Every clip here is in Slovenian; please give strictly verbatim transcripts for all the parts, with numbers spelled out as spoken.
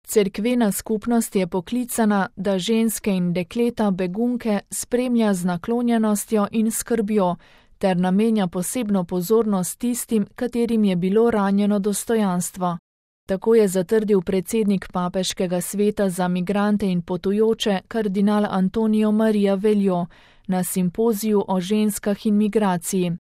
Cerkvena skupnost je poklicana, da ženske in dekleta begunke spremlja z naklonjenostjo in skrbjo, ter namenja posebno pozornost tistim, katerim je bilo ranjeno dostojanstvo. Tako je zatrdil predsednik Papeškega sveta za migrante in potujoče kardinal Antonio Maria Veljo na simpoziju o ženskah in migraciji.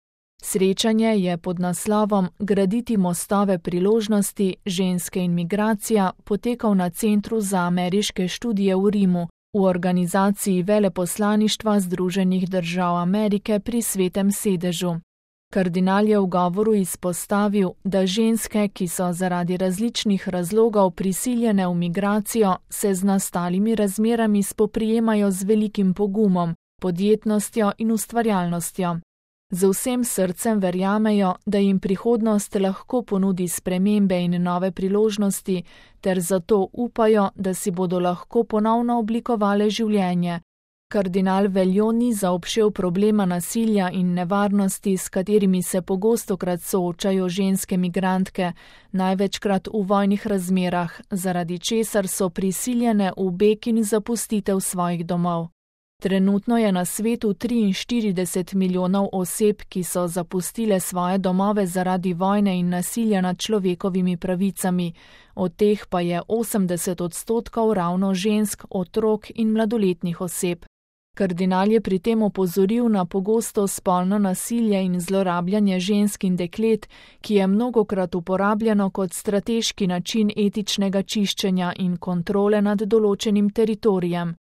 Srečanje je pod naslovom Graditi mostove priložnosti, ženske in migracija potekal na Centru za ameriške študije v Rimu v organizaciji Veleposlaništva Združenih držav Amerike pri Svetem sedežu. Kardinal je v govoru izpostavil, da ženske, ki so zaradi različnih razlogov prisiljene v migracijo, se z nastalimi razmerami spoprijemajo z velikim pogumom, podjetnostjo in ustvarjalnostjo. Z vsem srcem verjamejo, da jim prihodnost lahko ponudi spremembe in nove priložnosti, ter zato upajo, da si bodo lahko ponovno oblikovale življenje. Kardinal Veljo ni zaobšel problema nasilja in nevarnosti, s katerimi se pogostokrat soočajo ženske migrantke, največkrat v vojnih razmerah, zaradi česar so prisiljene v beg in zapustitev svojih domov. Trenutno je na svetu triinštirideset milijonov oseb, ki so zapustile svoje domove zaradi vojne in nasilja nad človekovimi pravicami, od teh pa je osemdeset odstotkov ravno žensk, otrok in mladoletnih oseb. Kardinal je pri tem opozoril na pogosto spolno nasilje in zlorabljanje žensk in deklet, ki je mnogokrat uporabljeno kot strateški način etičnega čiščenja in kontrole nad določenim teritorijem.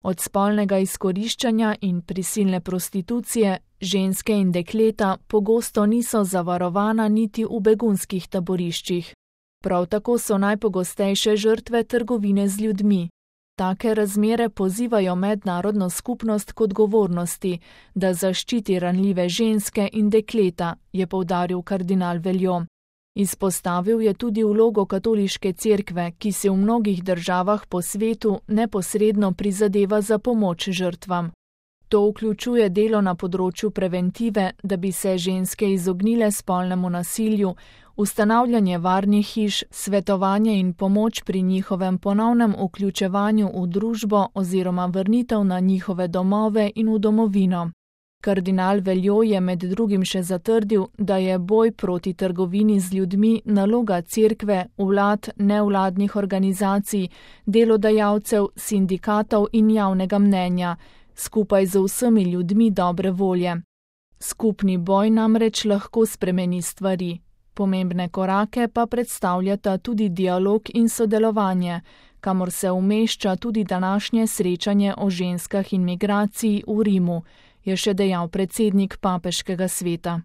Od spolnega izkoriščanja in prisilne prostitucije ženske in dekleta pogosto niso zavarovana niti v begunskih taboriščih. Prav tako so najpogostejše žrtve trgovine z ljudmi. Take razmere pozivajo mednarodno skupnost k odgovornosti, da zaščiti ranljive ženske in dekleta, je poudaril kardinal Veljo. Izpostavil je tudi vlogo katoliške cerkve, ki se v mnogih državah po svetu neposredno prizadeva za pomoč žrtvam. To vključuje delo na področju preventive, da bi se ženske izognile spolnemu nasilju, ustanavljanje varnih hiš, svetovanje in pomoč pri njihovem ponovnem vključevanju v družbo oziroma vrnitev na njihove domove in v domovino. Kardinal Veljo je med drugim še zatrdil, da je boj proti trgovini z ljudmi naloga cerkve, vlad, nevladnih organizacij, delodajalcev, sindikatov in javnega mnenja, skupaj z vsemi ljudmi dobre volje. Skupni boj namreč lahko spremeni stvari. Pomembne korake pa predstavljata tudi dialog in sodelovanje, kamor se umešča tudi današnje srečanje o ženskah in migraciji v Rimu, je še dejal predsednik Papeškega sveta.